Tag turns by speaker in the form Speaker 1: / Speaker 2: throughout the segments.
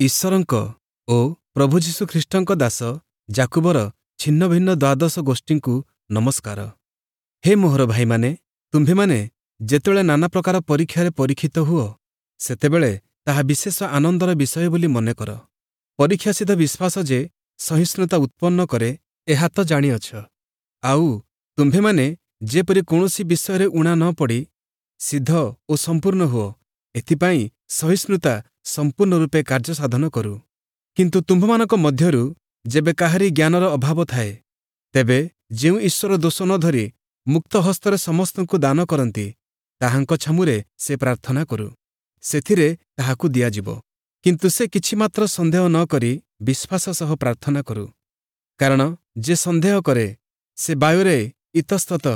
Speaker 1: ଈଶ୍ୱରଙ୍କ ଓ ପ୍ରଭୁ ଯୀଶୁ ଖ୍ରୀଷ୍ଟଙ୍କ ଦାସ ଯାକୁବର ଛିନ୍ନଭିନ୍ନ ଦ୍ୱାଦଶ ଗୋଷ୍ଠୀଙ୍କୁ ନମସ୍କାର। ହେ ମୋହର ଭାଇମାନେ, ତୁମ୍ଭେମାନେ ଯେତେବେଳେ ନାନା ପ୍ରକାର ପରୀକ୍ଷାରେ ପରୀକ୍ଷିତ ହୁଅ, ସେତେବେଳେ ତାହା ବିଶେଷ ଆନନ୍ଦର ବିଷୟ ବୋଲି ମନେ କର। ପରୀକ୍ଷାସିଦ୍ଧ ବିଶ୍ୱାସ ଯେ ସହିଷ୍ଣୁତା ଉତ୍ପନ୍ନ କରେ, ଏହା ତ ଜାଣିଅଛ। ଆଉ ତୁମ୍ଭେମାନେ ଯେପରି କୌଣସି ବିଷୟରେ ଊଣା ନ ପଡ଼ି ସିଦ୍ଧ ଓ ସମ୍ପୂର୍ଣ୍ଣ ହୁଅ, ଏଥିପାଇଁ ସହିଷ୍ଣୁତା ସମ୍ପୂର୍ଣ୍ଣ ରୂପେ କାର୍ଯ୍ୟ ସାଧନ କରୁ। କିନ୍ତୁ ତୁମ୍ଭମାନଙ୍କ ମଧ୍ୟରୁ ଯେବେ କାହାରି ଜ୍ଞାନର ଅଭାବ ଥାଏ, ତେବେ ଯେଉଁ ଈଶ୍ୱର ଦୋଷ ନ ଧରି ମୁକ୍ତ ହସ୍ତରେ ସମସ୍ତଙ୍କୁ ଦାନ କରନ୍ତି, ତାହାଙ୍କ ଛାମୁରେ ସେ ପ୍ରାର୍ଥନା କରୁ, ସେଥିରେ ତାହାକୁ ଦିଆଯିବ। କିନ୍ତୁ ସେ କିଛି ମାତ୍ର ସନ୍ଦେହ ନ କରି ବିଶ୍ୱାସ ସହ ପ୍ରାର୍ଥନା କରୁ। କାରଣ ଯେ ସନ୍ଦେହ କରେ, ସେ ବାୟୁରେ ଇତସ୍ତତ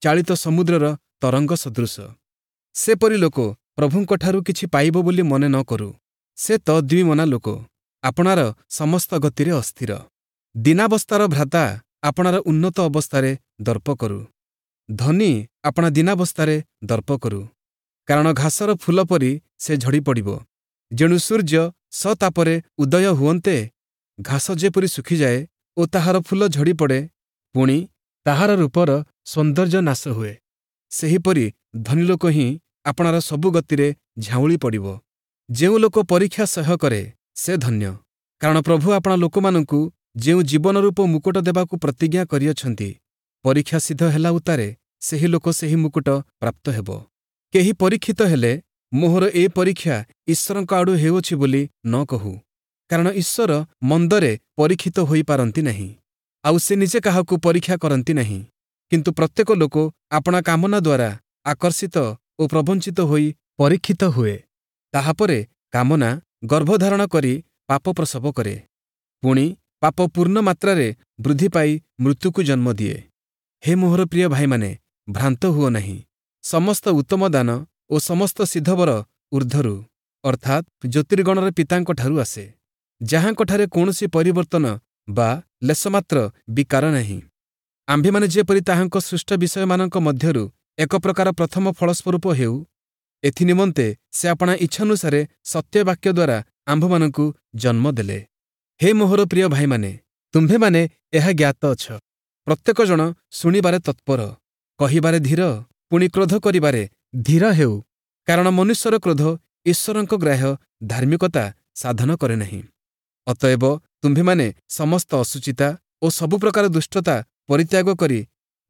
Speaker 1: ଚାଳିତ ସମୁଦ୍ରର ତରଙ୍ଗ ସଦୃଶ। ସେପରି ଲୋକ ପ୍ରଭୁଙ୍କଠାରୁ କିଛି ପାଇବ ବୋଲି ମନେ ନ କରୁ। ସେ ତ ଦ୍ୱିମନା ଲୋକ, ଆପଣାର ସମସ୍ତ ଗତିରେ ଅସ୍ଥିର। ଦୀନାବସ୍ଥାର ଭ୍ରାତା ଆପଣାର ଉନ୍ନତ ଅବସ୍ଥାରେ ଦର୍ପ କରୁ। ଧନୀ ଆପଣା ଦୀନାବସ୍ଥାରେ ଦର୍ପ କରୁ। କାରଣ ଘାସର ଫୁଲ ପରି ସେ ଝଡ଼ି ପଡ଼ିବ। ଯେଣୁ ସୂର୍ଯ୍ୟ ସତାପରେ ଉଦୟ ହୁଅନ୍ତେ ଘାସ ଯେପରି ଶୁଖିଯାଏ ଓ ତାହାର ଫୁଲ ଝଡ଼ି ପଡ଼େ, ପୁଣି ତାହାର ରୂପର ସୌନ୍ଦର୍ଯ୍ୟ ନାଶ ହୁଏ, ସେହିପରି ଧନୀଲୋକ ହିଁ ଆପଣାର ସବୁ ଗତିରେ ଝାଉଁଳି ପଡ଼ିବ। ଯେଉଁ ଲୋକ ପରୀକ୍ଷା ସହ୍ୟ କରେ, ସେ ଧନ୍ୟ। କାରଣ ପ୍ରଭୁ ଆପଣା ଲୋକମାନଙ୍କୁ ଯେଉଁ ଜୀବନରୂପ ମୁକୁଟ ଦେବାକୁ ପ୍ରତିଜ୍ଞା କରିଅଛନ୍ତି, ପରୀକ୍ଷା ସିଦ୍ଧ ହେଲା ଉତ୍ତାରେ ସେହି ଲୋକ ସେହି ମୁକୁଟ ପ୍ରାପ୍ତ ହେବ। କେହି ପରୀକ୍ଷିତ ହେଲେ, ମୋହର ଏ ପରୀକ୍ଷା ଈଶ୍ୱରଙ୍କ ଆଡ଼ୁ ହେଉଅଛି ବୋଲି ନ କହୁ। କାରଣ ଈଶ୍ୱର ମନ୍ଦରେ ପରୀକ୍ଷିତ ହୋଇପାରନ୍ତି ନାହିଁ, ଆଉ ସେ ନିଜେ କାହାକୁ ପରୀକ୍ଷା କରନ୍ତି ନାହିଁ। କିନ୍ତୁ ପ୍ରତ୍ୟେକ ଲୋକ ଆପଣା କାମନା ଦ୍ୱାରା ଆକର୍ଷିତ ଓ ପ୍ରବଞ୍ଚିତ ହୋଇ ପରୀକ୍ଷିତ ହୁଏ। ତାହାପରେ କାମନା ଗର୍ଭଧାରଣ କରି ପାପ ପ୍ରସବ କରେ, ପୁଣି ପାପ ପୂର୍ଣ୍ଣ ମାତ୍ରାରେ ବୃଦ୍ଧି ପାଇ ମୃତ୍ୟୁକୁ ଜନ୍ମ ଦିଏ। ହେ ମୋହର ପ୍ରିୟ ଭାଇମାନେ, ଭ୍ରାନ୍ତ ହୁଅ ନାହିଁ। ସମସ୍ତ ଉତ୍ତମ ଦାନ ଓ ସମସ୍ତ ସିଦ୍ଧବର ଊର୍ଦ୍ଧ୍ୱରୁ, ଅର୍ଥାତ୍ ଜ୍ୟୋତିର୍ଗଣର ପିତାଙ୍କଠାରୁ ଆସେ, ଯାହାଙ୍କଠାରେ କୌଣସି ପରିବର୍ତ୍ତନ ବା ଲେଶମାତ୍ର ବିକାର ନାହିଁ। ଆମ୍ଭେମାନେ ଯେପରି ତାହାଙ୍କ ସୃଷ୍ଟ ବିଷୟମାନଙ୍କ ମଧ୍ୟରୁ ଏକ ପ୍ରକାର ପ୍ରଥମ ଫଳସ୍ୱରୂପ ହେଉ, ଏଥିନିମନ୍ତେ ସେ ଆପଣା ଇଚ୍ଛାନୁସାରେ ସତ୍ୟବାକ୍ୟ ଦ୍ୱାରା ଆମ୍ଭମାନଙ୍କୁ ଜନ୍ମ ଦେଲେ। ହେ ମୋହର ପ୍ରିୟ ଭାଇମାନେ, ତୁମ୍ଭେମାନେ ଏହା ଜ୍ଞାତ ଅଛ। ପ୍ରତ୍ୟେକ ଜଣ ଶୁଣିବାରେ ତତ୍ପର, କହିବାରେ ଧୀର, ପୁଣି କ୍ରୋଧ କରିବାରେ ଧୀର ହେଉ। କାରଣ ମନୁଷ୍ୟର କ୍ରୋଧ ଈଶ୍ୱରଙ୍କ ଗ୍ରାହ୍ୟ ଧାର୍ମିକତା ସାଧନ କରେ ନାହିଁ। ଅତଏବ ତୁମ୍ଭେମାନେ ସମସ୍ତ ଅଶୁଚିତା ଓ ସବୁ ପ୍ରକାର ଦୁଷ୍ଟତା ପରିତ୍ୟାଗ କରି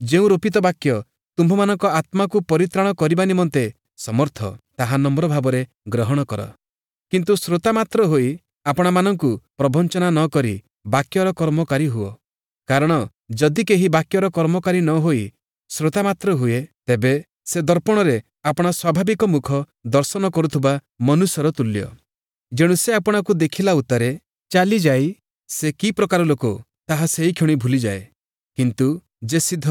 Speaker 1: ଯେଉଁ ରୋପିତ ବାକ୍ୟ ତୁମ୍ଭମାନଙ୍କ ଆତ୍ମାକୁ ପରିତ୍ରାଣ କରିବା ନିମନ୍ତେ ସମର୍ଥ, ତାହା ନମ୍ର ଭାବରେ ଗ୍ରହଣ କର। କିନ୍ତୁ ଶ୍ରୋତା ମାତ୍ର ହୋଇ ଆପଣାମାନଙ୍କୁ ପ୍ରବଞ୍ଚନା ନ କରି ବାକ୍ୟର କର୍ମକାରୀ ହୁଅ। କାରଣ ଯଦି କେହି ବାକ୍ୟର କର୍ମକାରୀ ନ ହୋଇ ଶ୍ରୋତା ମାତ୍ର ହୁଏ, ତେବେ ସେ ଦର୍ପଣରେ ଆପଣା ସ୍ୱାଭାବିକ ମୁଖ ଦର୍ଶନ କରୁଥିବା ମନୁଷ୍ୟର ତୁଲ୍ୟ। ଯେଣୁ ସେ ଆପଣାକୁ ଦେଖିଲା ଉତ୍ତାରେ ଚାଲିଯାଇ ସେ କି ପ୍ରକାର ଲୋକ, ତାହା ସେହିକ୍ଷଣି ଭୁଲିଯାଏ। କିନ୍ତୁ ଯେ ସିଦ୍ଧ,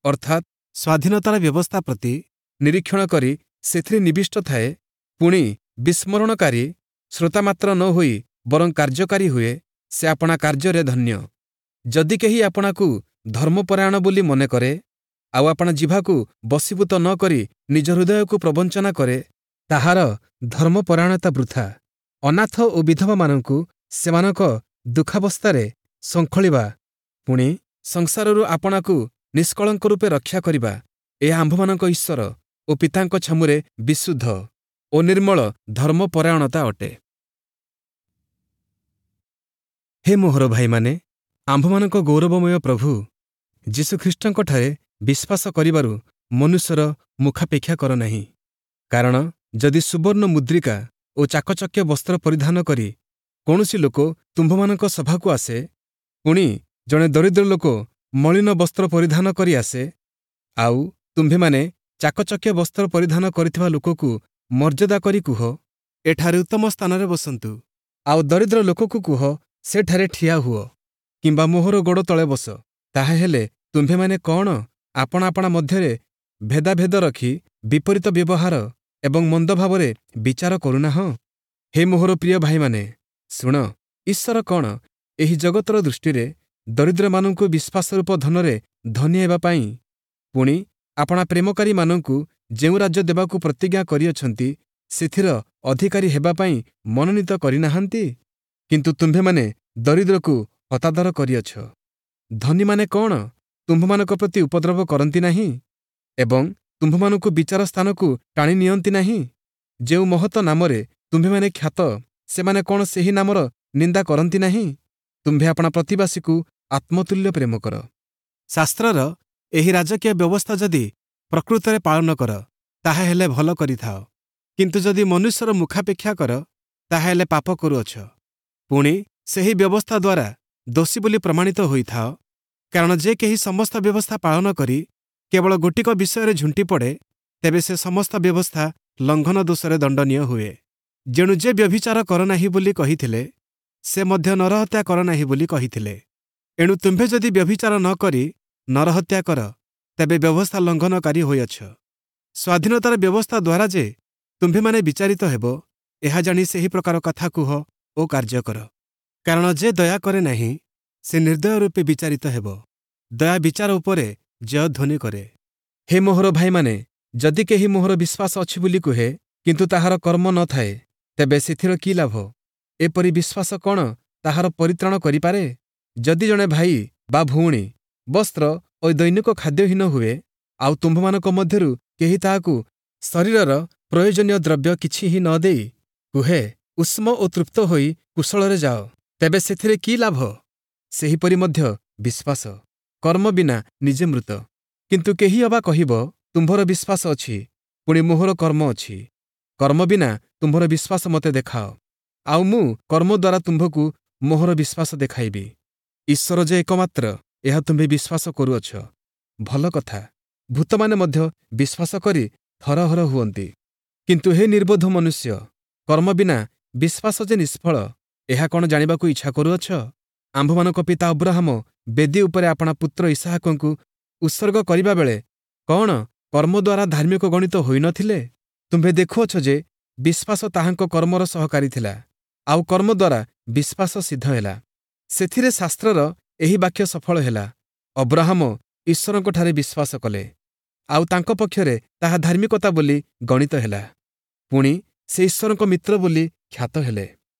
Speaker 1: ଅର୍ଥାତ୍ ସ୍ୱାଧୀନତାର ବ୍ୟବସ୍ଥା ପ୍ରତି ନିରୀକ୍ଷଣ କରି ସେଥିରେ ନିବିଷ୍ଟ ଥାଏ, ପୁଣି ବିସ୍ମରଣକାରୀ ଶ୍ରୋତା ମାତ୍ର ନ ହୋଇ ବରଂ କାର୍ଯ୍ୟକାରୀ ହୁଏ, ସେ ଆପଣା କାର୍ଯ୍ୟରେ ଧନ୍ୟ। ଯଦି କେହି ଆପଣାକୁ ଧର୍ମପରାୟଣ ବୋଲି ମନେ କରେ, ଆଉ ଆପଣା ଜିଭାକୁ ବଶୀଭୂତ ନ କରି ନିଜ ହୃଦୟକୁ ପ୍ରବଞ୍ଚନା କରେ, ତାହାର ଧର୍ମପରାୟଣତା ବୃଥା। ଅନାଥ ଓ ବିଧବାମାନଙ୍କୁ ସେମାନଙ୍କ ଦୁଃଖାବସ୍ଥାରେ ଶୃଙ୍ଖଳିବା, ପୁଣି ସଂସାରରୁ ଆପଣାକୁ ନିଷ୍କଳଙ୍କ ରୂପେ ରକ୍ଷା କରିବା, ଏହା ଆମ୍ଭମାନଙ୍କ ଈଶ୍ୱର ଓ ପିତାଙ୍କ ଛାମୁରେ ବିଶୁଦ୍ଧ ଓ ନିର୍ମଳ ଧର୍ମପରାୟଣତା ଅଟେ। ହେ ମୋହର ଭାଇମାନେ, ଆମ୍ଭମାନଙ୍କ ଗୌରବମୟ ପ୍ରଭୁ ଯୀଶୁଖ୍ରୀଷ୍ଟଙ୍କଠାରେ ବିଶ୍ୱାସ କରିବାରୁ ମନୁଷ୍ୟର ମୁଖାପେକ୍ଷା କର ନାହିଁ। କାରଣ ଯଦି ସୁବର୍ଣ୍ଣ ମୁଦ୍ରିକା ଓ ଚାକଚକ୍ୟ ବସ୍ତ୍ର ପରିଧାନ କରି କୌଣସି ଲୋକ ତୁମ୍ଭମାନଙ୍କ ସଭାକୁ ଆସେ, ପୁଣି ଜଣେ ଦରିଦ୍ର ଲୋକ ମଳିନ ବସ୍ତ୍ର ପରିଧାନ କରି ଆସେ, ଆଉ ତୁମ୍ଭେମାନେ ଚାକଚକ୍ୟ ବସ୍ତ୍ର ପରିଧାନ କରିଥିବା ଲୋକକୁ ମର୍ଯ୍ୟାଦା କରି କୁହ, ଏଠାରେ ଉତ୍ତମ ସ୍ଥାନରେ ବସନ୍ତୁ, ଆଉ ଦରିଦ୍ର ଲୋକକୁ କୁହ, ସେଠାରେ ଠିଆ ହୁଅ କିମ୍ବା ମୋହର ଗୋଡ଼ ତଳେ ବସ, ତାହାହେଲେ ତୁମ୍ଭେମାନେ କ'ଣ ଆପଣା ଆପଣା ମଧ୍ୟରେ ଭେଦାଭେଦ ରଖି ବିପରୀତ ବ୍ୟବହାର ଏବଂ ମନ୍ଦ ଭାବରେ ବିଚାର କରୁନାହଁ? ହେ ମୋହର ପ୍ରିୟ ଭାଇମାନେ, ଶୁଣ, ଈଶ୍ୱର କ'ଣ ଏହି ଜଗତର ଦୃଷ୍ଟିରେ ଦରିଦ୍ରମାନଙ୍କୁ ବିଶ୍ୱାସରୂପ ଧନରେ ଧନୀ ହେବା ପାଇଁ, ପୁଣି ଆପଣା ପ୍ରେମକାରୀମାନଙ୍କୁ ଯେଉଁ ରାଜ୍ୟ ଦେବାକୁ ପ୍ରତିଜ୍ଞା କରିଅଛନ୍ତି, ସେଥିର ଅଧିକାରୀ ହେବା ପାଇଁ ମନୋନୀତ କରିନାହାନ୍ତି? କିନ୍ତୁ ତୁମ୍ଭେମାନେ ଦରିଦ୍ରକୁ ହତାଦର କରିଅଛ। ଧନୀମାନେ କ'ଣ ତୁମ୍ଭମାନଙ୍କ ପ୍ରତି ଉପଦ୍ରବ କରନ୍ତି ନାହିଁ ଏବଂ ତୁମ୍ଭମାନଙ୍କୁ ବିଚାର ସ୍ଥାନକୁ ଟାଣି ନିଅନ୍ତି ନାହିଁ? ଯେଉଁ ମହତ ନାମରେ ତୁମ୍ଭେମାନେ ଖ୍ୟାତ, ସେମାନେ କ'ଣ ସେହି ନାମର ନିନ୍ଦା କରନ୍ତି ନାହିଁ? ତୁମ୍ଭେ ଆପଣା ପ୍ରତିବାସୀକୁ ଆତ୍ମତୁଲ୍ୟ ପ୍ରେମ କର। ଶାସ୍ତ୍ରର ଏହି ରାଜକୀୟ ବ୍ୟବସ୍ଥା ଯଦି ପ୍ରକୃତରେ ପାଳନ କର, ତାହାହେଲେ ଭଲ କରିଥାଅ। କିନ୍ତୁ ଯଦି ମନୁଷ୍ୟର ମୁଖାପେକ୍ଷା କର, ତାହାହେଲେ ପାପ କରୁଅଛ, ପୁଣି ସେହି ବ୍ୟବସ୍ଥା ଦ୍ୱାରା ଦୋଷୀ ବୋଲି ପ୍ରମାଣିତ ହୋଇଥାଅ। କାରଣ ଯେ କେହି ସମସ୍ତ ବ୍ୟବସ୍ଥା ପାଳନ କରି କେବଳ ଗୋଟିକ ବିଷୟରେ ଝୁଣ୍ଟି ପଡ଼େ, ତେବେ ସେ ସମସ୍ତ ବ୍ୟବସ୍ଥା ଲଙ୍ଘନ ଦୋଷରେ ଦଣ୍ଡନୀୟ ହୁଏ। ଯେଣୁ ଯେ ବ୍ୟଭିଚାର କର ନାହିଁ ବୋଲି କହିଥିଲେ, ସେ ମଧ୍ୟ ନରହତ୍ୟା କର ନାହିଁ ବୋଲି କହିଥିଲେ। ଏଣୁ ତୁମ୍ଭେ ଯଦି ବ୍ୟଭିଚାର ନ କରି ନରହତ୍ୟା କର, ତେବେ ବ୍ୟବସ୍ଥା ଲଙ୍ଘନକାରୀ ହୋଇଅଛ। ସ୍ୱାଧୀନତାର ବ୍ୟବସ୍ଥା ଦ୍ୱାରା ଯେ ତୁମ୍ଭେମାନେ ବିଚାରିତ ହେବ, ଏହା ଜାଣି ସେହି ପ୍ରକାର କଥା କୁହ ଓ କାର୍ଯ୍ୟ କର। କାରଣ ଯେ ଦୟା କରେ ନାହିଁ, ସେ ନିର୍ଦ୍ଦୟ ରୂପେ ବିଚାରିତ ହେବ। ଦୟା ବିଚାର ଉପରେ ଜୟଧ୍ୱନି କରେ। ହେ ମୋହର ଭାଇମାନେ, ଯଦି କେହି ମୋହର ବିଶ୍ୱାସ ଅଛି ବୋଲି କୁହେ, କିନ୍ତୁ ତାହାର କର୍ମ ନ ଥାଏ, ତେବେ ସେଥିର କି ଲାଭ? ଏପରି ବିଶ୍ୱାସ କ'ଣ ତାହାର ପରିତ୍ରାଣ କରିପାରେ? ଯଦି ଜଣେ ଭାଇ ବା ଭଉଣୀ ବସ୍ତ୍ର ଓ ଦୈନିକ ଖାଦ୍ୟହୀନ ହୁଏ, ଆଉ ତୁମ୍ଭମାନଙ୍କ ମଧ୍ୟରୁ କେହି ତାହାକୁ ଶରୀରର ପ୍ରୟୋଜନୀୟ ଦ୍ରବ୍ୟ କିଛି ହିଁ ନ ଦେଇ କୁହେ, ଉଷ୍ମ ଓ ତୃପ୍ତ ହୋଇ କୁଶଳରେ ଯାଅ, ତେବେ ସେଥିରେ କି ଲାଭ? ସେହିପରି ମଧ୍ୟ ବିଶ୍ୱାସ କର୍ମ ବିନା ନିଜେ ମୃତ। କିନ୍ତୁ କେହି ଅବା କହିବ, ତୁମ୍ଭର ବିଶ୍ୱାସ ଅଛି, ପୁଣି ମୋହର କର୍ମ ଅଛି। କର୍ମ ବିନା ତୁମ୍ଭର ବିଶ୍ୱାସ ମୋତେ ଦେଖାଅ, ଆଉ ମୁଁ କର୍ମ ଦ୍ୱାରା ତୁମ୍ଭକୁ ମୋହର ବିଶ୍ୱାସ ଦେଖାଇବି। ଈଶ୍ୱର ଯେ ଏକମାତ୍ର, ଏହା ତୁମ୍ଭେ ବିଶ୍ୱାସ କରୁଅଛ, ଭଲ କଥା। ଭୂତମାନେ ମଧ୍ୟ ବିଶ୍ୱାସ କରି ଥରହର ହୁଅନ୍ତି। କିନ୍ତୁ ହେ ନିର୍ବୋଧ ମନୁଷ୍ୟ, କର୍ମ ବିନା ବିଶ୍ୱାସ ଯେ ନିଷ୍ଫଳ, ଏହା କ'ଣ ଜାଣିବାକୁ ଇଚ୍ଛା କରୁଅଛ? ଆମ୍ଭମାନଙ୍କ ପିତା ଅବ୍ରାହମ ବେଦୀ ଉପରେ ଆପଣା ପୁତ୍ର ଇସାହାକଙ୍କୁ ଉତ୍ସର୍ଗ କରିବା ବେଳେ କ'ଣ କର୍ମ ଦ୍ୱାରା ଧାର୍ମିକ ଗଣିତ ହୋଇନଥିଲେ? ତୁମ୍ଭେ ଦେଖୁଅଛ ଯେ ବିଶ୍ୱାସ ତାହାଙ୍କ କର୍ମର ସହକାରୀ ଥିଲା, ଆଉ କର୍ମ ଦ୍ୱାରା ବିଶ୍ୱାସ ସିଦ୍ଧ ହେଲା। ସେଥିରେ ଶାସ୍ତ୍ରର ଏହି ବାକ୍ୟ ସଫଳ ହେଲା, ଅବ୍ରାହମ ଈଶ୍ୱରଙ୍କଠାରେ ବିଶ୍ୱାସ କଲେ, ଆଉ ତାଙ୍କ ପକ୍ଷରେ ତାହା ଧାର୍ମିକତା ବୋଲି ଗଣିତ ହେଲା। ପୁଣି ସେ ଈଶ୍ୱରଙ୍କ ମିତ୍ର ବୋଲି ଖ୍ୟାତ ହେଲେ।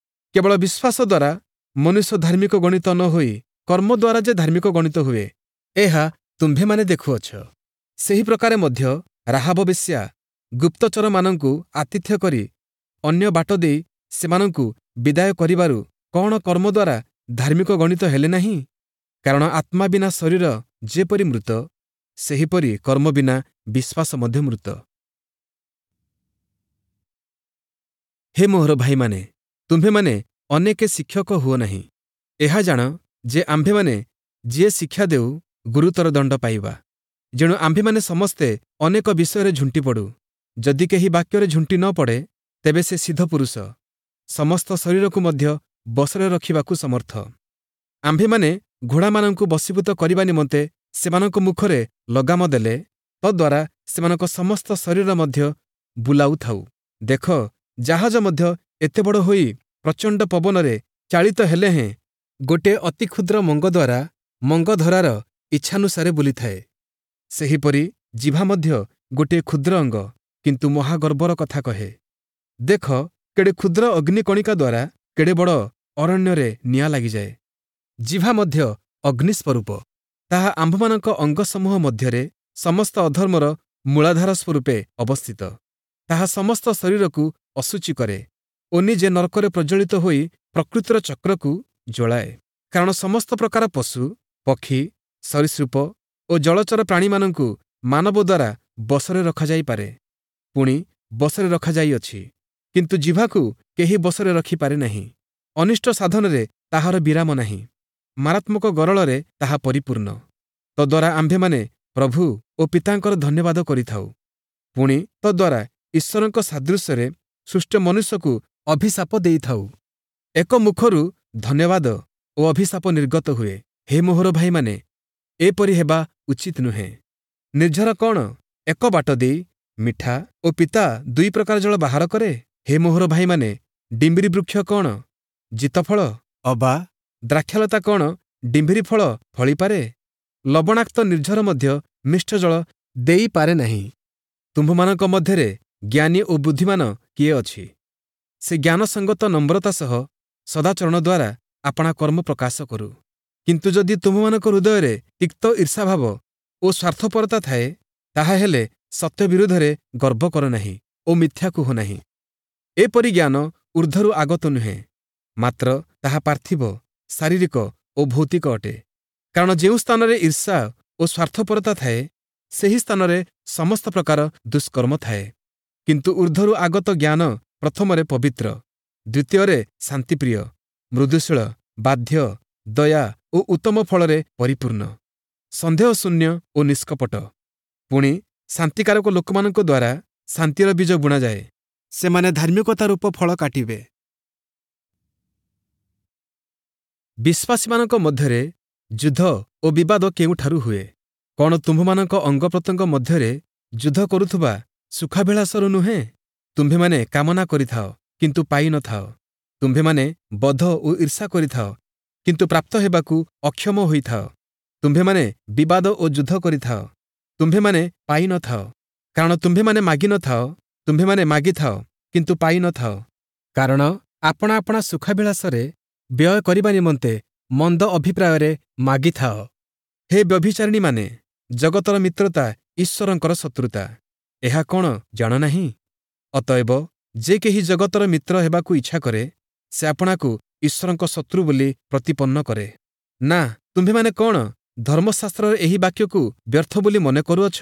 Speaker 1: କେବଳ ବିଶ୍ୱାସ ଦ୍ୱାରା ମନୁଷ୍ୟ ଧାର୍ମିକ ଗଣିତ ନ ହୋଇ କର୍ମ ଦ୍ୱାରା ଯେ ଧାର୍ମିକ ଗଣିତ ହୁଏ, ଏହା ତୁମ୍ଭେମାନେ ଦେଖୁଅଛ। ସେହି ପ୍ରକାରେ ମଧ୍ୟ ରାହାବ ବେଶ୍ୟା ଗୁପ୍ତଚରମାନଙ୍କୁ ଆତିଥ୍ୟ କରି ଅନ୍ୟ ବାଟ ଦେଇ ସେମାନଙ୍କୁ ବିଦାୟ କରିବାରୁ କ'ଣ କର୍ମ ଦ୍ୱାରା ଧାର୍ମିକ ଗଣିତ ହେଲେ ନାହିଁ? କାରଣ ଆତ୍ମା ବିନା ଶରୀର ଯେପରି ମୃତ, ସେହିପରି କର୍ମ ବିନା ବିଶ୍ୱାସ ମଧ୍ୟ ମୃତ। ହେ ମୋହର ଭାଇମାନେ, ତୁମ୍ଭେମାନେ ଅନେକ ଶିକ୍ଷକ ହୁଅ ନାହିଁ। ଏହା ଜାଣ ଯେ ଆମ୍ଭେମାନେ ଯିଏ ଶିକ୍ଷା ଦେଉ, ଗୁରୁତର ଦଣ୍ଡ ପାଇବା। ଯେଣୁ ଆମ୍ଭେମାନେ ସମସ୍ତେ ଅନେକ ବିଷୟରେ ଝୁଣ୍ଟି ପଡ଼ୁ। ଯଦି କେହି ବାକ୍ୟରେ ଝୁଣ୍ଟି ନ ପଡ଼େ, ତେବେ ସେ ସିଦ୍ଧ ପୁରୁଷ, ସମସ୍ତ ଶରୀରକୁ ମଧ୍ୟ ବଶରେ ରଖିବାକୁ ସମର୍ଥ। ଆମ୍ଭେମାନେ ଘୋଡ଼ାମାନଙ୍କୁ ବଶୀଭୂତ କରିବା ନିମନ୍ତେ ସେମାନଙ୍କ ମୁଖରେ ଲଗାମ ଦେଲେ ତଦ୍ୱାରା ସେମାନଙ୍କ ସମସ୍ତ ଶରୀର ମଧ୍ୟ ବୁଲାଉଥାଉ। ଦେଖ, ଜାହାଜ ମଧ୍ୟ ଏତେ ବଡ଼ ହୋଇ ପ୍ରଚଣ୍ଡ ପବନରେ ଚାଳିତ ହେଲେ ହେଁ ଗୋଟିଏ ଅତି କ୍ଷୁଦ୍ର ମଙ୍ଗ ଦ୍ୱାରା ମଙ୍ଗଧରାର ଇଚ୍ଛାନୁସାରେ ବୁଲିଥାଏ। ସେହିପରି ଜିଭା ମଧ୍ୟ ଗୋଟିଏ କ୍ଷୁଦ୍ର ଅଙ୍ଗ, କିନ୍ତୁ ମହାଗର୍ବର କଥା କହେ। ଦେଖ, କେଡ଼େ କ୍ଷୁଦ୍ର ଅଗ୍ନିକଣିକା ଦ୍ୱାରା କେଡ଼େ ବଡ଼ ଅରଣ୍ୟରେ ନିଆଁ ଲାଗିଯାଏ। ଜିଭା ମଧ୍ୟ ଅଗ୍ନିସ୍ୱରୂପ। ତାହା ଆମ୍ଭମାନଙ୍କ ଅଙ୍ଗସମୂହ ମଧ୍ୟରେ ସମସ୍ତ ଅଧର୍ମର ମୂଳାଧାର ସ୍ୱରୂପେ ଅବସ୍ଥିତ। ତାହା ସମସ୍ତ ଶରୀରକୁ ଅଶୁଚି କରେ ଓ ନିଜେ ନର୍କରେ ପ୍ରଜ୍ୱଳିତ ହୋଇ ପ୍ରକୃତିର ଚକ୍ରକୁ ଜ୍ୱଳାଏ। କାରଣ ସମସ୍ତ ପ୍ରକାର ପଶୁ, ପକ୍ଷୀ, ସରୀସୃପ ଓ ଜଳଚର ପ୍ରାଣୀମାନଙ୍କୁ ମାନବ ଦ୍ୱାରା ବଶରେ ରଖାଯାଇପାରେ, ପୁଣି ବଶରେ ରଖାଯାଇଅଛି। କିନ୍ତୁ ଜିଭାକୁ କେହି ବଶରେ ରଖିପାରେ ନାହିଁ। ଅନିଷ୍ଟ ସାଧନରେ ତାହାର ବିରାମ ନାହିଁ, ମାରାତ୍ମକ ଗରଳରେ ତାହା ପରିପୂର୍ଣ୍ଣ। ତଦ୍ୱାରା ଆମ୍ଭେମାନେ ପ୍ରଭୁ ଓ ପିତାଙ୍କର ଧନ୍ୟବାଦ କରିଥାଉ, ପୁଣି ତଦ୍ୱାରା ଈଶ୍ୱରଙ୍କ ସାଦୃଶ୍ୟରେ ସୃଷ୍ଟ ମନୁଷ୍ୟକୁ ଅଭିଶାପ ଦେଇଥାଉ। ଏକ ମୁଖରୁ ଧନ୍ୟବାଦ ଓ ଅଭିଶାପ ନିର୍ଗତ ହୁଏ। ହେ ମୋହର ଭାଇମାନେ, ଏପରି ହେବା ଉଚିତ ନୁହେଁ। ନିର୍ଝର କ'ଣ ଏକ ବାଟ ଦେଇ ମିଠା ଓ ପିତା ଦୁଇ ପ୍ରକାର ଜଳ ବାହାର କରେ? ହେ ମୋହର ଭାଇମାନେ, ଡିମ୍ବିରି ବୃକ୍ଷ କ'ଣ ଜିତଫଳ ଅବା ଦ୍ରାକ୍ଷାଲତା କ'ଣ ଡିମ୍ବିରି ଫଳ ଫଳିପାରେ? ଲବଣାକ୍ତ ନିର୍ଝର ମଧ୍ୟ ମିଷ୍ଟ ଜଳ ଦେଇପାରେ ନାହିଁ। ତୁମ୍ଭମାନଙ୍କ ମଧ୍ୟରେ ଜ୍ଞାନୀ ଓ ବୁଦ୍ଧିମାନ କିଏ ଅଛି? ସେ ଜ୍ଞାନସଙ୍ଗତ ନମ୍ରତା ସହ ସଦାଚରଣ ଦ୍ୱାରା ଆପଣା କର୍ମ ପ୍ରକାଶ କରୁ। କିନ୍ତୁ ଯଦି ତୁମ୍ଭମାନଙ୍କ ହୃଦୟରେ ତିକ୍ତ ଈର୍ଷାଭାବ ଓ ସ୍ୱାର୍ଥପରତା ଥାଏ, ତାହାହେଲେ ସତ୍ୟ ବିରୁଦ୍ଧରେ ଗର୍ବ କର ନାହିଁ ଓ ମିଥ୍ୟା କୁହ ନାହିଁ। ଏପରି ଜ୍ଞାନ ଊର୍ଦ୍ଧ୍ୱରୁ ଆଗତ ନୁହେଁ, ମାତ୍ର ତାହା ପାର୍ଥିବ, ଶାରୀରିକ ଓ ଭୌତିକ ଅଟେ। କାରଣ ଯେଉଁ ସ୍ଥାନରେ ଈର୍ଷା ଓ ସ୍ୱାର୍ଥପରତା ଥାଏ, ସେହି ସ୍ଥାନରେ ସମସ୍ତ ପ୍ରକାର ଦୁଷ୍କର୍ମ ଥାଏ। କିନ୍ତୁ ଊର୍ଦ୍ଧ୍ୱରୁ ଆଗତ ଜ୍ଞାନ ପ୍ରଥମରେ ପବିତ୍ର, ଦ୍ୱିତୀୟରେ ଶାନ୍ତିପ୍ରିୟ, ମୃଦୁଶୀଳ, ବାଧ୍ୟ, ଦୟା ଓ ଉତ୍ତମ ଫଳରେ ପରିପୂର୍ଣ୍ଣ, ସନ୍ଦେହ ଶୂନ୍ୟ ଓ ନିଷ୍କପଟ। ପୁଣି ଶାନ୍ତିକାରକ ଲୋକମାନଙ୍କ ଦ୍ୱାରା ଶାନ୍ତିର ବୀଜ ବୁଣାଯାଏ, ସେମାନେ ଧାର୍ମିକତା ରୂପ ଫଳ କାଟିବେ। ବିଶ୍ୱାସୀମାନଙ୍କ ମଧ୍ୟରେ ଯୁଦ୍ଧ ଓ ବିବାଦ କେଉଁଠାରୁ ହୁଏ? କ'ଣ ତୁମ୍ଭମାନଙ୍କ ଅଙ୍ଗପ୍ରତ୍ୟଙ୍ଗ ମଧ୍ୟରେ ଯୁଦ୍ଧ କରୁଥିବା ସୁଖାଭିଳାଷରୁ ନୁହେଁ? ତୁମ୍ଭେମାନେ କାମନା କରିଥାଅ, କିନ୍ତୁ ପାଇନଥାଅ। ତୁମ୍ଭେମାନେ ବଧ ଓ ଈର୍ଷା କରିଥାଅ, କିନ୍ତୁ ପ୍ରାପ୍ତ ହେବାକୁ ଅକ୍ଷମ ହୋଇଥାଅ। ତୁମ୍ଭେମାନେ ବିବାଦ ଓ ଯୁଦ୍ଧ କରିଥାଅ, ତୁମ୍ଭେମାନେ ପାଇନଥାଅ, କାରଣ ତୁମ୍ଭେମାନେ ମାଗିନଥାଅ। ତୁମ୍ଭେମାନେ ମାଗିଥାଅ, କିନ୍ତୁ ପାଇନଥାଅ, କାରଣ ଆପଣା ଆପଣା ସୁଖାଭିଳାଷରେ ବ୍ୟୟ କରିବା ନିମନ୍ତେ ମନ୍ଦ ଅଭିପ୍ରାୟରେ ମାଗିଥାଅ। ହେ ବ୍ୟଭିଚାରିଣୀମାନେ, ଜଗତର ମିତ୍ରତା ଈଶ୍ୱରଙ୍କର ଶତ୍ରୁତା, ଏହା କ'ଣ ଜାଣ ନାହିଁ? ଅତଏବ ଯେ କେହି ଜଗତର ମିତ୍ର ହେବାକୁ ଇଚ୍ଛା କରେ, ସେ ଆପଣାକୁ ଈଶ୍ୱରଙ୍କ ଶତ୍ରୁ ବୋଲି ପ୍ରତିପନ୍ନ କରେ। ନା, ତୁମ୍ଭେମାନେ କ'ଣ ଧର୍ମଶାସ୍ତ୍ରର ଏହି ବାକ୍ୟକୁ ବ୍ୟର୍ଥ ବୋଲି ମନେ କରୁଅଛ?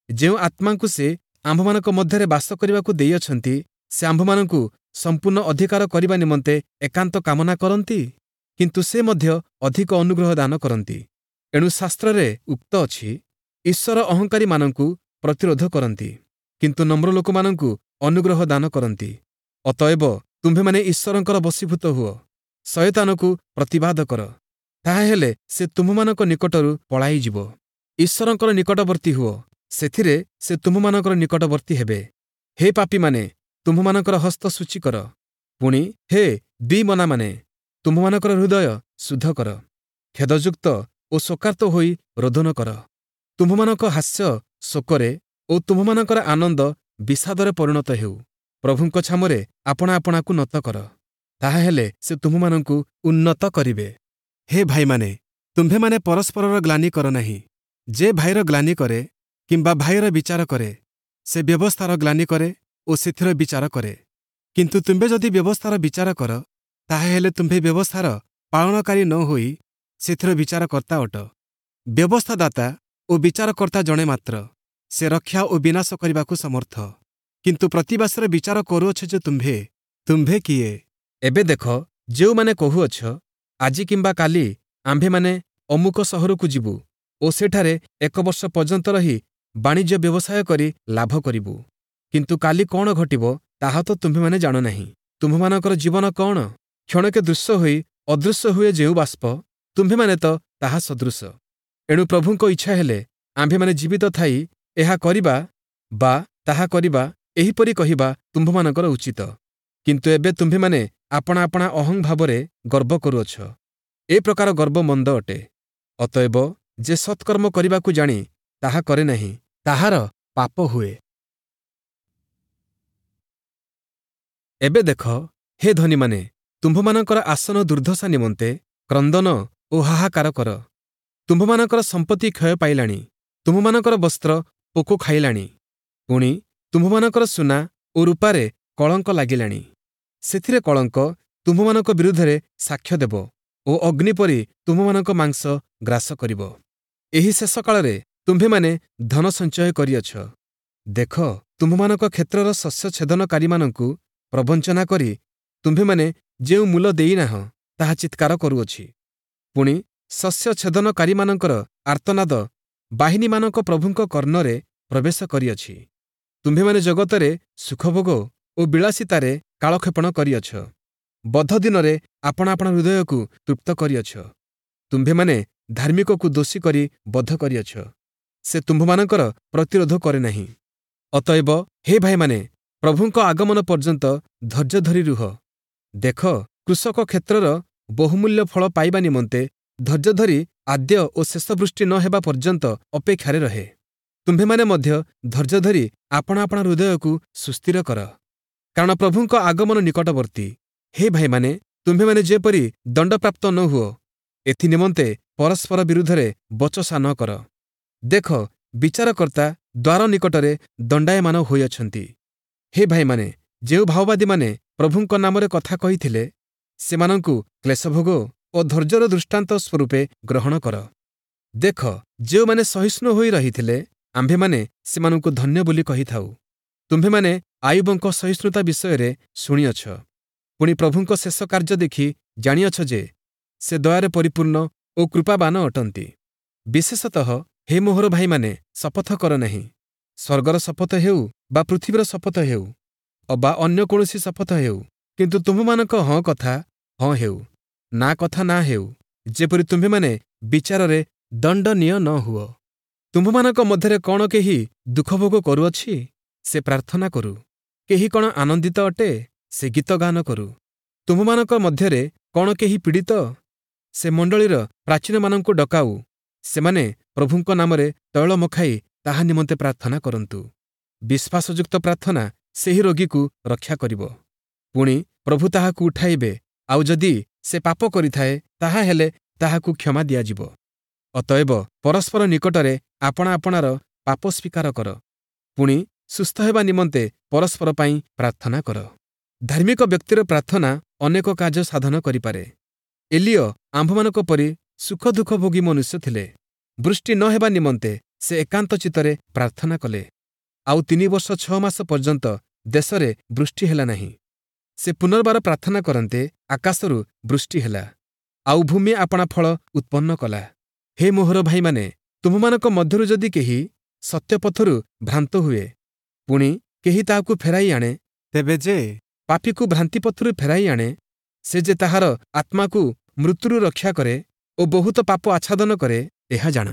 Speaker 1: ଯେଉଁ ଆତ୍ମାଙ୍କୁ ସେ ଆମ୍ଭମାନଙ୍କ ମଧ୍ୟରେ ବାସ କରିବାକୁ ଦେଇଅଛନ୍ତି, ସେ ଆମ୍ଭମାନଙ୍କୁ ସମ୍ପୂର୍ଣ୍ଣ ଅଧିକାର କରିବା ନିମନ୍ତେ ଏକାନ୍ତ କାମନା କରନ୍ତି, କିନ୍ତୁ ସେ ମଧ୍ୟ ଅଧିକ ଅନୁଗ୍ରହ ଦାନ କରନ୍ତି। ଏଣୁ ଶାସ୍ତ୍ରରେ ଉକ୍ତ ଅଛି, ଈଶ୍ୱର ଅହଙ୍କାରୀମାନଙ୍କୁ ପ୍ରତିରୋଧ କରନ୍ତି, କିନ୍ତୁ ନମ୍ର ଲୋକମାନଙ୍କୁ ଅନୁଗ୍ରହ ଦାନ କରନ୍ତି। ଅତଏବ ତୁମ୍ଭେମାନେ ଈଶ୍ୱରଙ୍କର ବଶୀଭୂତ ହୁଅ, ଶୟତାନକୁ ପ୍ରତିବାଦ କର, ତାହାହେଲେ ସେ ତୁମ୍ଭମାନଙ୍କ ନିକଟରୁ ପଳାଇଯିବ। ଈଶ୍ୱରଙ୍କର ନିକଟବର୍ତ୍ତୀ ହୁଅ, ସେଥିରେ ସେ ତୁମ୍ଭମାନଙ୍କର ନିକଟବର୍ତ୍ତୀ ହେବେ। ହେ ପାପୀମାନେ, ତୁମ୍ଭମାନଙ୍କର ହସ୍ତ ସୂଚୀ କର। ପୁଣି ହେ ଦ୍ୱିମନାମାନେ, ତୁମ୍ଭମାନଙ୍କର ହୃଦୟ ଶୁଦ୍ଧ କର। ଖେଦଯୁକ୍ତ ଓ ଶୋକାର୍ତ୍ତ ହୋଇ ରୋଦନ କର। ତୁମ୍ଭମାନଙ୍କ ହାସ୍ୟ ଶୋକରେ ଓ ତୁମ୍ଭମାନଙ୍କର ଆନନ୍ଦ ବିଷାଦରେ ପରିଣତ ହେଉ। ପ୍ରଭୁଙ୍କ ଛାମରେ ଆପଣା ଆପଣାକୁ ନତ କର, ତାହାହେଲେ ସେ ତୁମ୍ଭମାନଙ୍କୁ ଉନ୍ନତ କରିବେ। ହେ ଭାଇମାନେ, ତୁମ୍ଭେମାନେ ପରସ୍ପରର ଗ୍ଲାନି କର ନାହିଁ। ଯେ ଭାଇର ଗ୍ଲାନି କରେ କିମ୍ବା ଭାଇର ବିଚାର କରେ, ସେ ବ୍ୟବସ୍ଥାର ଗ୍ଲାନି କରେ ଓ ସେଥିର ବିଚାର କରେ। କିନ୍ତୁ ତୁମ୍ଭେ ଯଦି ବ୍ୟବସ୍ଥାର ବିଚାର କର, ତାହାହେଲେ ତୁମ୍ଭେ ବ୍ୟବସ୍ଥାର ପାଳନକାରୀ ନ ହୋଇ ସେଥିର ବିଚାରକର୍ତ୍ତା ଅଟ। ବ୍ୟବସ୍ଥାଦାତା ଓ ବିଚାରକର୍ତ୍ତା ଜଣେ ମାତ୍ର, ସେ ରକ୍ଷା ଓ ବିନାଶ କରିବାକୁ ସମର୍ଥ। କିନ୍ତୁ ପ୍ରତିବାସରେ ବିଚାର କରୁଅଛ ଯେ ତୁମ୍ଭେ କିଏ? ଏବେ ଦେଖ, ଯେଉଁମାନେ କହୁଅଛ, ଆଜି କିମ୍ବା କାଲି ଆମ୍ଭେମାନେ ଅମୁକ ସହରକୁ ଯିବୁ ଓ ସେଠାରେ ଏକ ବର୍ଷ ପର୍ଯ୍ୟନ୍ତ ରହି ବାଣିଜ୍ୟ ବ୍ୟବସାୟ କରି ଲାଭ କରିବୁ। କିନ୍ତୁ କାଲି କ'ଣ ଘଟିବ, ତାହା ତ ତୁମ୍ଭେମାନେ ଜାଣ ନାହିଁ। ତୁମ୍ଭମାନଙ୍କର ଜୀବନ କ'ଣ? କ୍ଷଣକେ ଦୃଶ୍ୟ ହୋଇ ଅଦୃଶ୍ୟ ହୁଏ ଯେଉଁ ବାଷ୍ପ, ତୁମ୍ଭେମାନେ ତ ତାହା ସଦୃଶ। ଏଣୁ ପ୍ରଭୁଙ୍କ ଇଚ୍ଛା ହେଲେ ଆମ୍ଭେମାନେ ଜୀବିତ ଥାଇ ଏହା କରିବା ବା ତାହା କରିବା, ଏହିପରି କହିବା ତୁମ୍ଭମାନଙ୍କର ଉଚିତ। କିନ୍ତୁ ଏବେ ତୁମ୍ଭେମାନେ ଆପଣା ଆପଣା ଅହଂ ଭାବରେ ଗର୍ବ କରୁଅଛ। ଏ ପ୍ରକାର ଗର୍ବ ମନ୍ଦ ଅଟେ। ଅତଏବ ଯେ ସତ୍କର୍ମ କରିବାକୁ ଜାଣି ତାହା କରେ ନାହିଁ, ତାହାର ପାପ ହୁଏ। ଏବେ ଦେଖ, ହେ ଧନୀମାନେ, ତୁମ୍ଭମାନଙ୍କର ଆସନ ଦୁର୍ଦ୍ଦଶା ନିମନ୍ତେ କ୍ରନ୍ଦନ ଓ ହାହାକାର କର। ତୁମ୍ଭମାନଙ୍କର ସମ୍ପତ୍ତି କ୍ଷୟ ପାଇଲାଣି, ତୁମ୍ଭମାନଙ୍କର ବସ୍ତ୍ର ପୋକ ଖାଇଲାଣି, ପୁଣି ତୁମ୍ଭମାନଙ୍କର ସୁନା ଓ ରୂପାରେ କଳଙ୍କ ଲାଗିଲାଣି। ସେଥିରେ କଳଙ୍କ ତୁମ୍ଭମାନଙ୍କ ବିରୁଦ୍ଧରେ ସାକ୍ଷ୍ୟ ଦେବ ଓ ଅଗ୍ନି ପରି ତୁମ୍ଭମାନଙ୍କ ମାଂସ ଗ୍ରାସ କରିବ। ଏହି ଶେଷ କାଳରେ ତୁମ୍ଭେମାନେ ଧନ ସଞ୍ଚୟ କରିଅଛ। ଦେଖ, ତୁମ୍ଭମାନଙ୍କ କ୍ଷେତ୍ରର ଶସ୍ୟ ଛେଦନକାରୀମାନଙ୍କୁ ପ୍ରବଞ୍ଚନା କରି ତୁମ୍ଭେମାନେ ଯେଉଁ ମୂଲ ଦେଇନାହଁ, ତାହା ଚିତ୍କାର କରୁଅଛି। ପୁଣି ଶସ୍ୟ ଛେଦନକାରୀମାନଙ୍କର ଆର୍ତ୍ତନାଦ ବାହିନୀମାନଙ୍କ ପ୍ରଭୁଙ୍କ କର୍ଣ୍ଣରେ ପ୍ରବେଶ କରିଅଛି। ତୁମ୍ଭେମାନେ ଜଗତରେ ସୁଖଭୋଗ ଓ ବିଳାସିତାରେ କାଳକ୍ଷେପଣ କରିଅଛ। ବଧ ଦିନରେ ଆପଣା ଆପଣା ହୃଦୟକୁ ତୃପ୍ତ କରିଅଛ। ତୁମ୍ଭେମାନେ ଧାର୍ମିକକୁ ଦୋଷୀ କରି ବଧ କରିଅଛ, ସେ ତୁମ୍ଭମାନଙ୍କର ପ୍ରତିରୋଧ କରେ ନାହିଁ। ଅତଏବ ହେ ଭାଇମାନେ, ପ୍ରଭୁଙ୍କ ଆଗମନ ପର୍ଯ୍ୟନ୍ତ ଧୈର୍ଯ୍ୟ ଧରି ରୁହ। ଦେଖ, କୃଷକ କ୍ଷେତ୍ରର ବହୁମୂଲ୍ୟ ଫଳ ପାଇବା ନିମନ୍ତେ ଧୈର୍ଯ୍ୟ ଧରି ଆଦ୍ୟ ଓ ଶେଷ ବୃଷ୍ଟି ନ ହେବା ପର୍ଯ୍ୟନ୍ତ ଅପେକ୍ଷାରେ ରହେ। ତୁମ୍ଭେମାନେ ମଧ୍ୟ ଧୈର୍ଯ୍ୟ ଧରି ଆପଣା ଆପଣା ହୃଦୟକୁ ସୁସ୍ଥିର କର, କାରଣ ପ୍ରଭୁଙ୍କ ଆଗମନ ନିକଟବର୍ତ୍ତୀ। ହେ ଭାଇମାନେ, ତୁମ୍ଭେମାନେ ଯେପରି ଦଣ୍ଡପ୍ରାପ୍ତ ନ ହୁଅ, ଏଥି ନିମନ୍ତେ ପରସ୍ପର ବିରୁଦ୍ଧରେ ବଚସା ନ କର। ଦେଖ, ବିଚାରକର୍ତ୍ତା ଦ୍ୱାର ନିକଟରେ ଦଣ୍ଡାୟମାନ ହୋଇଅଛନ୍ତି। ହେ ଭାଇମାନେ, ଯେଉଁ ଭାଓବାଦୀମାନେ ପ୍ରଭୁଙ୍କ ନାମରେ କଥା କହିଥିଲେ, ସେମାନଙ୍କୁ କ୍ଲେଶଭୋଗ ଓ ଧୈର୍ଯ୍ୟର ଦୃଷ୍ଟାନ୍ତ ସ୍ୱରୂପେ ଗ୍ରହଣ କର। ଦେଖ, ଯେଉଁମାନେ ସହିଷ୍ଣୁ ହୋଇ ରହିଥିଲେ, ଆମ୍ଭେମାନେ ସେମାନଙ୍କୁ ଧନ୍ୟ ବୋଲି କହିଥାଉ। ତୁମ୍ଭେମାନେ ଆୟୁବଙ୍କ ସହିଷ୍ଣୁତା ବିଷୟରେ ଶୁଣିଅଛ, ପୁଣି ପ୍ରଭୁଙ୍କ ଶେଷ କାର୍ଯ୍ୟ ଦେଖି ଜାଣିଅଛ ଯେ ସେ ଦୟାରେ ପରିପୂର୍ଣ୍ଣ ଓ କୃପାବାନ ଅଟନ୍ତି। ବିଶେଷତଃ ହେ ମୋହର ଭାଇମାନେ, ଶପଥ କର ନାହିଁ, ସ୍ୱର୍ଗର ଶପଥ ହେଉ ବା ପୃଥିବୀର ଶପଥ ହେଉ ଅବା ଅନ୍ୟ କୌଣସି ଶପଥ ହେଉ, କିନ୍ତୁ ତୁମ୍ଭମାନଙ୍କ ହଁ କଥା ହଁ ହେଉ, ନା କଥା ନା ହେଉ, ଯେପରି ତୁମ୍ଭେମାନେ ବିଚାରରେ ଦଣ୍ଡନୀୟ ନ ହୁଅ। ତୁମ୍ଭମାନଙ୍କ ମଧ୍ୟରେ କ'ଣ କେହି ଦୁଃଖଭୋଗ କରୁଅଛି? ସେ ପ୍ରାର୍ଥନା କରୁ। କେହି କ'ଣ ଆନନ୍ଦିତ ଅଟେ? ସେ ଗୀତ ଗାନ କରୁ। ତୁମ୍ଭମାନଙ୍କ ମଧ୍ୟରେ କ'ଣ କେହି ପୀଡ଼ିତ? ସେ ମଣ୍ଡଳୀର ପ୍ରାଚୀନମାନଙ୍କୁ ଡକାଉ, ସେମାନେ ପ୍ରଭୁଙ୍କ ନାମରେ ତୈଳ ମଖାଇ ତାହା ନିମନ୍ତେ ପ୍ରାର୍ଥନା କରନ୍ତୁ। ବିଶ୍ୱାସଯୁକ୍ତ ପ୍ରାର୍ଥନା ସେହି ରୋଗୀକୁ ରକ୍ଷା କରିବ, ପୁଣି ପ୍ରଭୁ ତାହାକୁ ଉଠାଇବେ, ଆଉ ଯଦି ସେ ପାପ କରିଥାଏ, ତାହାହେଲେ ତାହାକୁ କ୍ଷମା ଦିଆଯିବ। ଅତଏବ ପରସ୍ପର ନିକଟରେ ଆପଣା ଆପଣାର ପାପ ସ୍ୱୀକାର କର, ପୁଣି ସୁସ୍ଥ ହେବା ନିମନ୍ତେ ପରସ୍ପର ପାଇଁ ପ୍ରାର୍ଥନା କର। ଧାର୍ମିକ ବ୍ୟକ୍ତିର ପ୍ରାର୍ଥନା ଅନେକ କାର୍ଯ୍ୟ ସାଧନ କରିପାରେ। ଏଲିୟ ଆମ୍ଭମାନଙ୍କ ପରି ସୁଖ ଦୁଃଖ ଭୋଗୀ ମନୁଷ୍ୟ ଥିଲେ। ବୃଷ୍ଟି ନ ହେବା ନିମନ୍ତେ ସେ ଏକାନ୍ତ ଚିତ୍ତରେ ପ୍ରାର୍ଥନା କଲେ, ଆଉ 3 ବର୍ଷ 6 ମାସ ପର୍ଯ୍ୟନ୍ତ ଦେଶରେ ବୃଷ୍ଟି ହେଲା ନାହିଁ। ସେ ପୁନର୍ବାର ପ୍ରାର୍ଥନା କରନ୍ତେ ଆକାଶରୁ ବୃଷ୍ଟି ହେଲା, ଆଉ ଭୂମି ଆପଣା ଫଳ ଉତ୍ପନ୍ନ କଲା। ହେ ମୋହର ଭାଇମାନେ, ତୁମ୍ଭମାନଙ୍କ ମଧ୍ୟରୁ ଯଦି କେହି ସତ୍ୟପଥରୁ ଭ୍ରାନ୍ତ ହୁଏ, ପୁଣି କେହି ତାହାକୁ ଫେରାଇ ଆଣେ,
Speaker 2: ତେବେ ଯେ
Speaker 1: ପାପୀକୁ ଭ୍ରାନ୍ତିପଥରୁ ଫେରାଇ ଆଣେ, ସେ ଯେ ତାହାର ଆତ୍ମାକୁ ମୃତ୍ୟୁରୁ ରକ୍ଷା କରେ ଓ ବହୁତ ପାପ ଆଚ୍ଛାଦନ କରେ, ଏହା ଜାଣ।